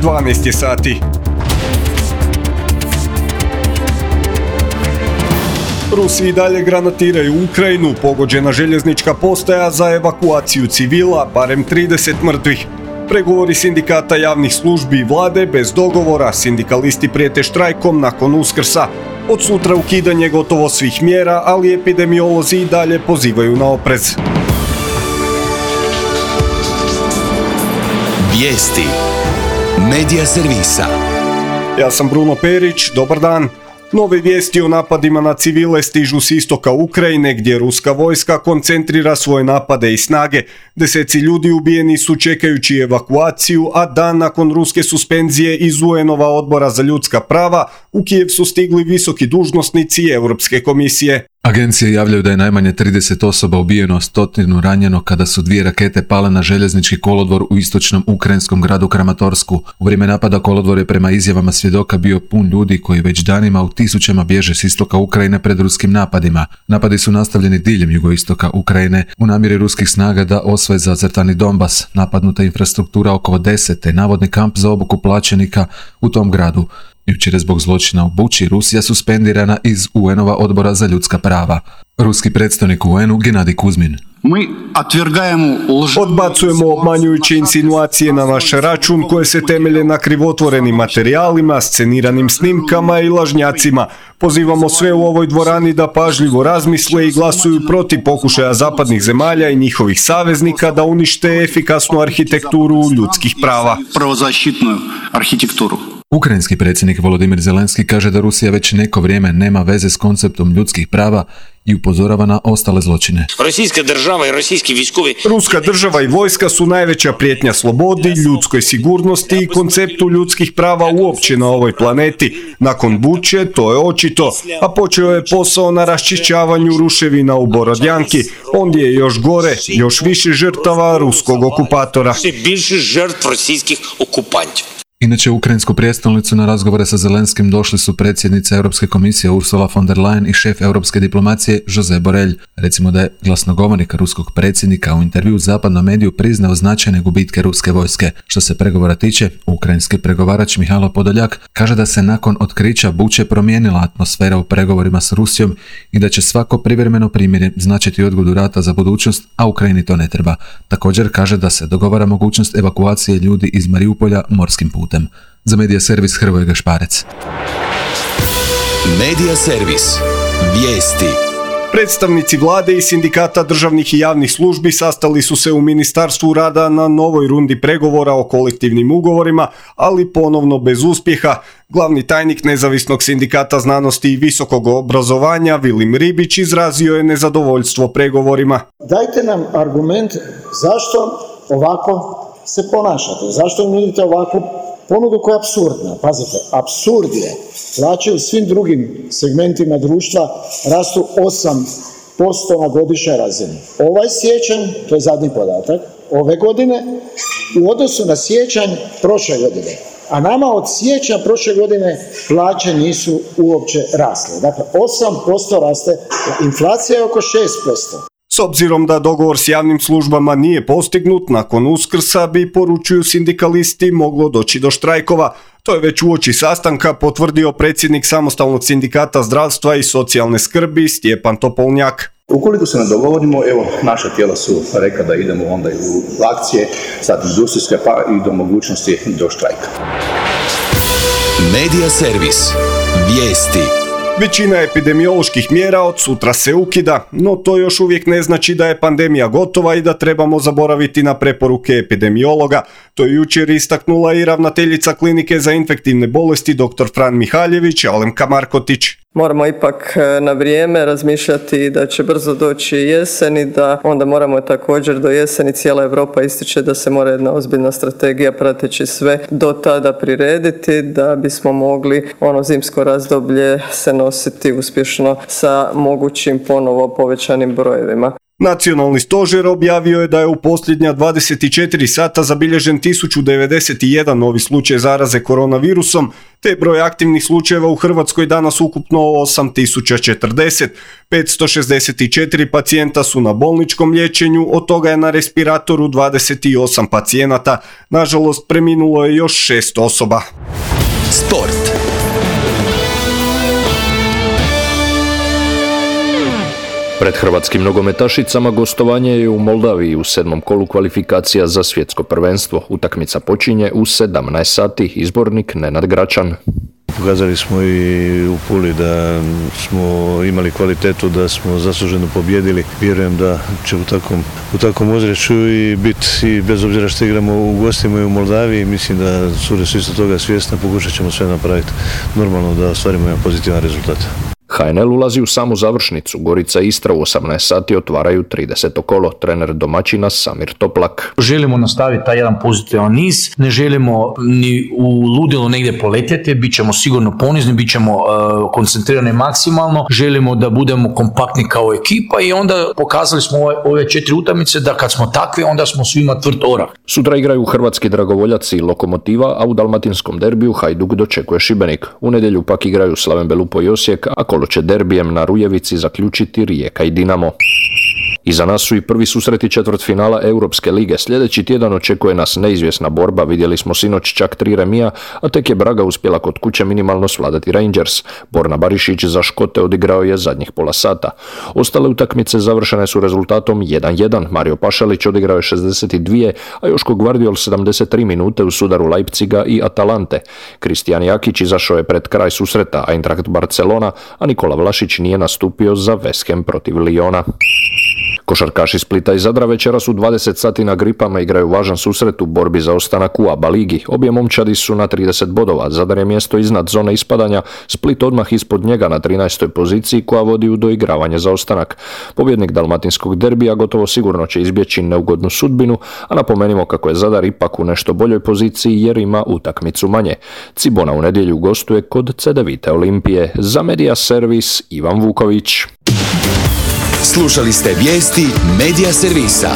12 je sati. Rusi i dalje granatiraju Ukrajinu, pogođena željeznička postaja za evakuaciju civila, barem 30 mrtvih. Pregovori sindikata javnih službi i vlade bez dogovora, sindikalisti prijete štrajkom nakon Uskrsa. Od sutra ukidanje gotovo svih mjera, ali epidemiolozi i dalje pozivaju na oprez. Vijesti Medija servisa. Ja sam Bruno Perić, dobar dan. Nove vijesti o napadima na civile stižu s istoka Ukrajine, gdje ruska vojska koncentrira svoje napade i snage. Deseci ljudi ubijeni su čekajući evakuaciju, a dan nakon ruske suspenzije iz UN-ova odbora za ljudska prava, u Kijev su stigli visoki dužnosnici Europske komisije. Agencije javljaju da je najmanje 30 osoba ubijeno, 100 ranjeno kada su 2 rakete pale na željeznički kolodvor u istočnom ukrajinskom gradu Kramatorsku. U vrijeme napada kolodvor je prema izjavama svjedoka bio pun ljudi koji već danima u tisućama bježe s istoka Ukrajine pred ruskim napadima. Napadi su nastavljeni diljem jugoistoka Ukrajine u namjeri ruskih snaga da osvoje zacrtani Donbas. Napadnuta infrastruktura oko Odese te navodni kamp za obuku plaćenika u tom gradu. Jučer je zbog zločina u Buči Rusija suspendirana iz UN-ova odbora za ljudska prava. Ruski predstavnik u UN-u Genadij Kuzmin. Odbacujemo obmanjujuće insinuacije na naš račun koje se temelje na krivotvorenim materijalima, sceniranim snimkama i lažnjacima. Pozivamo sve u ovoj dvorani da pažljivo razmisle i glasuju protiv pokušaja zapadnih zemalja i njihovih saveznika da unište efikasnu arhitekturu ljudskih prava. Ukrajinski predsjednik Volodimir Zelenski kaže da Rusija već neko vrijeme nema veze s konceptom ljudskih prava i upozorava na ostale zločine. Ruska država i vojska su najveća prijetnja slobodi, ljudskoj sigurnosti i konceptu ljudskih prava uopće na ovoj planeti. Nakon Buče to je očito, a počeo je posao na raščišćavanju ruševina u Borodjanki. Ondje je još gore, još više žrtava ruskog okupatora. Inače, u ukrajinsku prijestolnicu na razgovore sa Zelenskim došli su predsjednica Europske komisije Ursula von der Leyen i šef europske diplomacije Josep Borrell. Recimo da je glasnogovornik ruskog predsjednika u intervju zapadnom mediju priznao značajne gubitke ruske vojske. Što se pregovora tiče, ukrajinski pregovarač Mihajlo Podoljak kaže da se nakon otkrića Buče promijenila atmosfera u pregovorima s Rusijom i da će svako privremeno primirje značiti odgodu rata za budućnost, a Ukrajini to ne treba. Također kaže da se dogovara mogućnost evakuacije ljudi iz Mariupolja morskim putem. Za Medija servis Hrvoje Gašparec. Medija servis. Vijesti. Predstavnici vlade i sindikata državnih i javnih službi sastali su se u Ministarstvu rada na novoj rundi pregovora o kolektivnim ugovorima, ali ponovno bez uspjeha. Glavni tajnik Nezavisnog sindikata znanosti i visokog obrazovanja Vilim Ribić izrazio je nezadovoljstvo pregovorima. Dajte nam argument zašto ovako se ponašate, zašto nudite ovakvu ponudu koja je apsurdna. Pazite, apsurd je. Plaće u svim drugim segmentima društva rastu 8% na godišnjoj razini. Ovaj siječanj, to je zadnji podatak, ove godine u odnosu na siječanj prošle godine. A nama od siječnja prošle godine plaće nisu uopće rasle. Dakle, 8% raste, inflacija je oko 6%. S obzirom da dogovor s javnim službama nije postignut, nakon Uskrsa bi, poručuju sindikalisti, moglo doći do štrajkova. To je već uoči sastanka potvrdio predsjednik Samostalnog sindikata zdravstva i socijalne skrbi Stjepan Topolnjak. Ukoliko se ne dogovorimo, evo, naša tijela su rekla da idemo onda u akcije, sad industrijske, pa i do mogućnosti do štrajka. Medija servis. Vijesti. Većina epidemioloških mjera od sutra se ukida, no to još uvijek ne znači da je pandemija gotova i da trebamo zaboraviti na preporuke epidemiologa. To je jučer istaknula i ravnateljica klinike za infektivne bolesti dr. Fran Mihaljević, Alemka Markotić. Moramo ipak na vrijeme razmišljati da će brzo doći jesen i da onda moramo također do jeseni, cijela Europa ističe da se mora jedna ozbiljna strategija prateći sve do tada prirediti da bismo mogli ono zimsko razdoblje se nositi uspješno sa mogućim ponovo povećanim brojevima. Nacionalni stožer objavio je da je u posljednja 24 sata zabilježen 1091 novi slučaj zaraze koronavirusom, te broj aktivnih slučajeva u Hrvatskoj danas ukupno 8040. 564 pacijenta su na bolničkom liječenju, od toga je na respiratoru 28 pacijenata. Nažalost, preminulo je još 6 osoba. Sport. Pred hrvatskim nogometašicama gostovanje je u Moldaviji u 7. kolu kvalifikacija za svjetsko prvenstvo. Utakmica počinje u 17 sati. Izbornik Nenad Gračan. Pokazali smo i u Puli da smo imali kvalitetu, da smo zasluženo pobjedili. Vjerujem da će u takvom ozračju i biti, i bez obzira što igramo u gostima i u Moldaviji, mislim da su isto toga svjesna, pokušat ćemo sve napraviti normalno da ostvarimo jedan pozitivan rezultat. HNL ulazi u samu završnicu. Gorica i Istra u 18 sati otvaraju 30. kolo. Trener domaćina Samir Toplak. Želimo nastaviti taj jedan pozitivan niz, ne želimo ni u ludilo negdje poletjeti, bit ćemo sigurno ponizni, bit ćemo koncentrirani maksimalno, želimo da budemo kompaktni kao ekipa i onda pokazali smo ove 4 utakmice da kad smo takvi onda smo svima tvrd orah. Sutra igraju hrvatski dragovoljaci i Lokomotiva, a u dalmatinskom derbiju Hajduk dočekuje Šibenik. U nedjelju pak igraju Slaven Belupo i Osijek, a kolo će derbijem na Rujevici zaključiti Rijeka i Dinamo. Iza nas su i prvi susreti četvrtfinala Europske lige. Sljedeći tjedan očekuje nas neizvjesna borba. Vidjeli smo sinoć čak 3 remija, a tek je Braga uspjela kod kuće minimalno svladati Rangers. Borna Barišić za Škote odigrao je zadnjih pola sata. Ostale utakmice završene su rezultatom 1-1. Mario Pašalić odigrao je 62, a Joško Gvardiol 73 minute u sudaru Leipziga i Atalante. Kristijan Jakić izašao je pred kraj susreta Eintracht Barcelona, a Nikola Vlašić nije nastupio za West Ham protiv Lyona. Košarkaši Splita i Zadra večeras u 20 sati na Gripama igraju važan susret u borbi za ostanak u ABA ligi. Obje momčadi su na 30 bodova, Zadar je mjesto iznad zone ispadanja, Split odmah ispod njega na 13. poziciji koja vodi u doigravanje za ostanak. Pobjednik dalmatinskog derbija gotovo sigurno će izbjeći neugodnu sudbinu, a napomenimo kako je Zadar ipak u nešto boljoj poziciji jer ima utakmicu manje. Cibona u nedjelju gostuje kod Cedevite Olimpije. Za Media Servis Ivan Vuković. Slušali ste vijesti Media Servisa.